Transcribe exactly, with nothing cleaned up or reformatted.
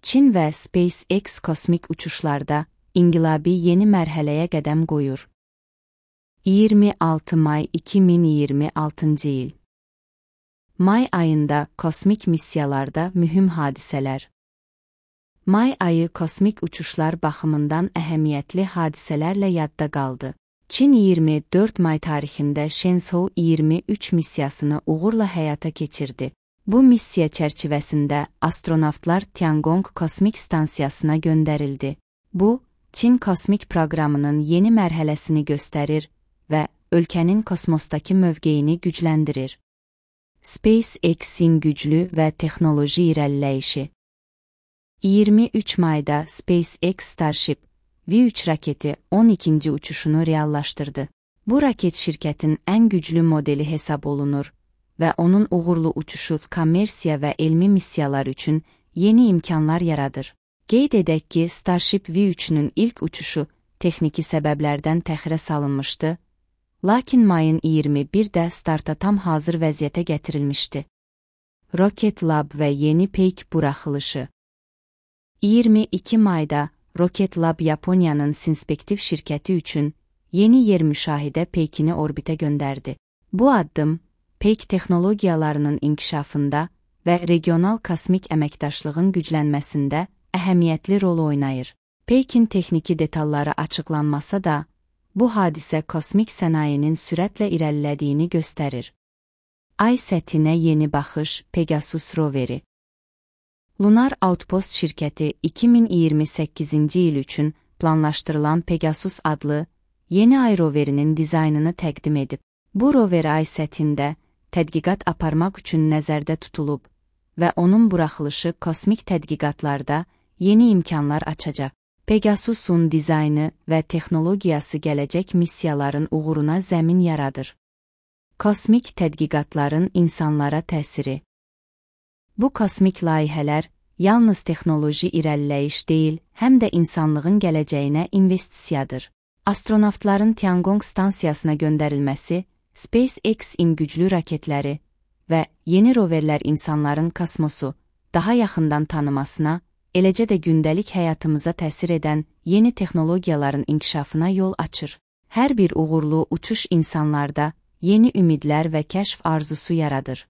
Çin və SpaceX kosmik uçuşlarda inqilabi yeni mərhələyə qədəm qoyur. iyirmi altı may iki min iyirmi altıncı il. May ayında kosmik missiyalarda mühüm hadisələr. May ayı kosmik uçuşlar baxımından əhəmiyyətli hadisələrlə yadda qaldı. Çin iyirmi dörd may tarixində Shenzhou iyirmi üç missiyasını uğurla həyata keçirdi. Bu missiya çərçivəsində astronavtlar Tiangong kosmik stansiyasına göndərildi. Bu, Çin kosmik proqramının yeni mərhələsini göstərir və ölkənin kosmosdakı mövqeyini gücləndirir. SpaceX-in güclü və texnoloji irəliləyişi. iyirmi üç mayda SpaceX Starship V üç raketi on ikinci uçuşunu reallaşdırdı. Bu raket şirkətin ən güclü modeli hesab olunur və onun uğurlu uçuşu kommersiya və elmi missiyalar üçün yeni imkanlar yaradır. Qeyd edək ki, Starship V üçün ilk uçuşu texniki səbəblərdən təxirə salınmışdı, lakin mayın iyirmi birdə starta tam hazır vəziyyətə gətirilmişdi. Rocket Lab və yeni peyk buraxılışı. iyirmi iki mayda Rocket Lab Yaponiyanın Sinspektiv şirkəti üçün yeni yer müşahidə peykini orbitə göndərdi. Bu addım, peyk texnologiyalarının inkişafında və regional kosmik əməkdaşlığın güclənməsində əhəmiyyətli rol oynayır. Peykin texniki detalları açıqlanmasa da, bu hadisə kosmik sənayinin sürətlə irəlilədiyini göstərir. Ay səthinə yeni baxış Pegasus roveri. Lunar Outpost şirkəti iki min iyirmi səkkizinci il üçün planlaşdırılan Pegasus adlı yeni ay roverinin dizaynını təqdim edib. Bu rover ay səthində tədqiqat aparmaq üçün nəzərdə tutulub və onun buraxılışı kosmik tədqiqatlarda yeni imkanlar açacaq. Pegasusun dizaynı və texnologiyası gələcək missiyaların uğuruna zəmin yaradır. Kosmik tədqiqatların insanlara təsiri. Bu kosmik layihələr yalnız texnoloji irəliləyiş deyil, həm də insanlığın gələcəyinə investisiyadır. Astronavtların Tiangong stansiyasına göndərilməsi, SpaceX-in güclü raketləri və yeni roverlər insanların kosmosu daha yaxından tanımasına, eləcə də gündəlik həyatımıza təsir edən yeni texnologiyaların inkişafına yol açır. Hər bir uğurlu uçuş insanlarda yeni ümidlər və kəşf arzusu yaradır.